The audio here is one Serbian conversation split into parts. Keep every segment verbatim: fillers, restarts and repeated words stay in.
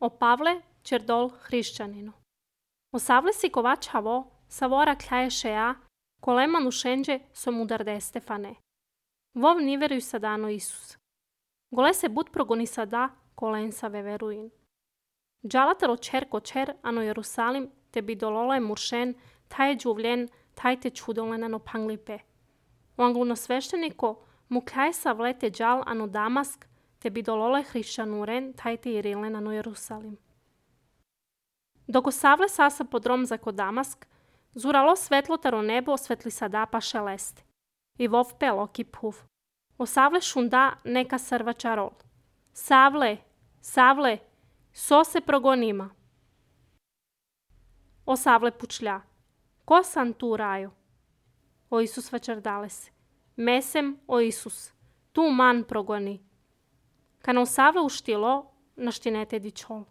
O Pavle Čerdol hrišćaninu. Osavle si kovačavo, savora kljaješeja, kolema nušenđe so mudarde Stefane. Vov niveruj sadano Isus. Gole se bud progoni sada, kolensa veveruin. Džalataro čer ko čer, ano Jerusalim, te bidolole muršen, taj džuvljen, taj te čudolenano panglipe. O angluno svešteniko, mu kljajsa vlete džal ano Damask, te bidolole hrišćanuren, taj te irilen ano Jerusalim. Dok osavle sasa podrom zako Damask, zuralo svetlotaro nebo osvetli sada pa šeleste. I vov pelo kiphuv. Osavle šunda neka srva čarol. Savle, savle, so se progonima. Osavle pučlja. Ko sam tu rajo? O Isus vačardale se. Mesem o Isus. Tu man progoni. Kana osavle uštilo, naštinete dičol.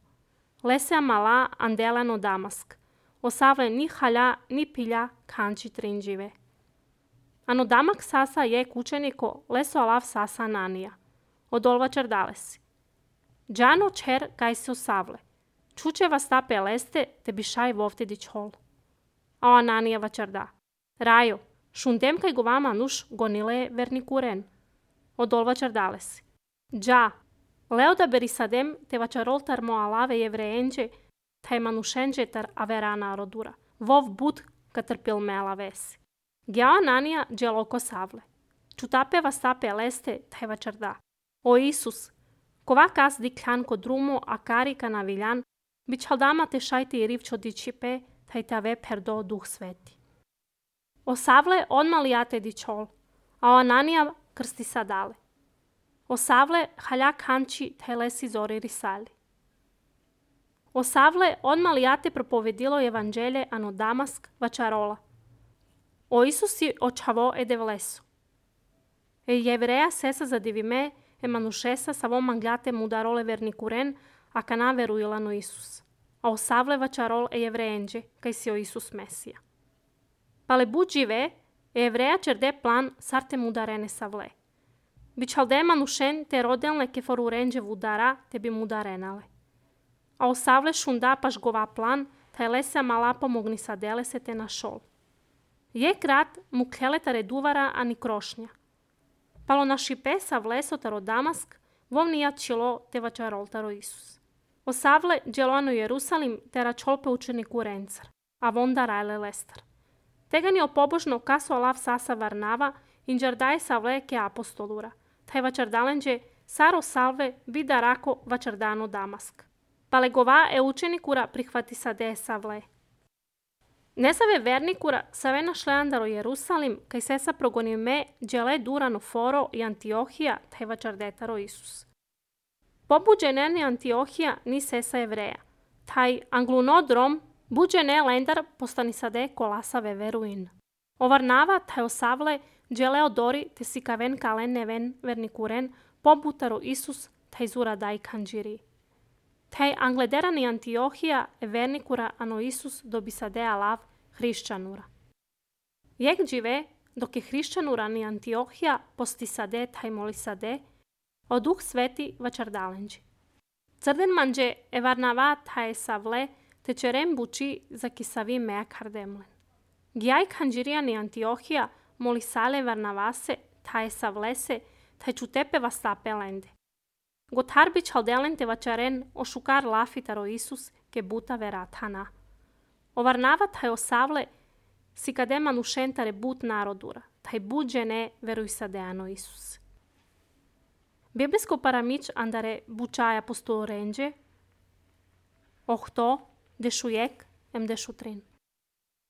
Lese amala andelano Damask. Osavle ni halja, ni pilja, kanči trinđive. Ano Damak sasa je kućeniko, leso alav sasa Ananija. Odolva čardale si. Džano čer kaj se osavle. Čuče vas tape leste, te bišaj vovte dičol. A Ananija vačarda. Rajo, šundem kaj govama nuš gonile vernikuren. Odolva čardale si. Dža, leo da berisadem te vačarol tar mo alave jevreenđe, taj manušenđe tar averana rodura. Vov bud katrpil me alavesi. Gjao Ananija dželoko savle. Čutape vas tape leste, taj vačarda. O Isus, kova kas diklan ko drumo a karika na viljan, bičaldama te šajti i rivčo dičipe, taj tave perdo duh sveti. O savle onmalijate dičol, a o Ananija krsti sadale. O savle halja kanči taj lesi zori risali. O savle onmalijate propovedilo evanđelje ano Damask vačarola. O Isusi očavo ede vlesu. E jevreja sesa zadivime e manušesa savo manglate mudarole vernikuren, a kana veruilano Isus. A osavle vačarol e jevreenđe, kaj si o Isus Mesija. Pale bud žive, e jevreja čerde plan sarte mudarene savle. Bičalde manušen te rodelne ke forurenđe vudara te bi mudarenale. A osavle šunda paš gova plan, taj lese mala pomogni sadele se te na šol. Je krat mu kljele reduvara ani krošnja. Palo na šipe sa vleso taro Damask, vovnija čilo te vačarol taro Isus. Osavle dželoano Jerusalim te račolpe učeniku rencar, a vonda rajle lestar. Tegani opobožno kaso alav sasa varnava, inđardaje savle ke apostolura. Taj vačardalenđe saro salve vida rako vačardano Damask. Palegova e učenikura prihvati sade savle. Nesave vernikura save našleandaro Jerusalim, kaj sesa progoni me džele durano foro i Antiohija, taj vačardetaro Isus. Pobuđeneni Antiohija ni sesa evreja. Taj anglunodrom buđene lendar postani sade kolasave veruin. Ovarnava taj osavle džele odori te si kaven kalen neven vernikuren pobutaro Isus taj zura daj kanđiri. Taj anglederani Antiohija e vernikura ano Isus dobi sade alav hrišćanura. Jek džive, dok je hrišćanura ni Antiohija posti sade taj moli sade, o duh sveti vačardalenđi. Crden manđe e varnava taj savle te čerem buči za kisavi mea kardemlen. Gjaj kanđirija ni Antiohija moli sale varnavase taj savlese taj čutepe vastape lende. Gotar bi čaldelen te vačaren ošukar lafitaro Isus ke buta veratana. Ovarnava taj osavle si kade manušentare but narodura, taj buđene veruj sadeano Isus. Biblijsko paramić andare bučaja apostol renđe, ohto dešujek em dešutrin.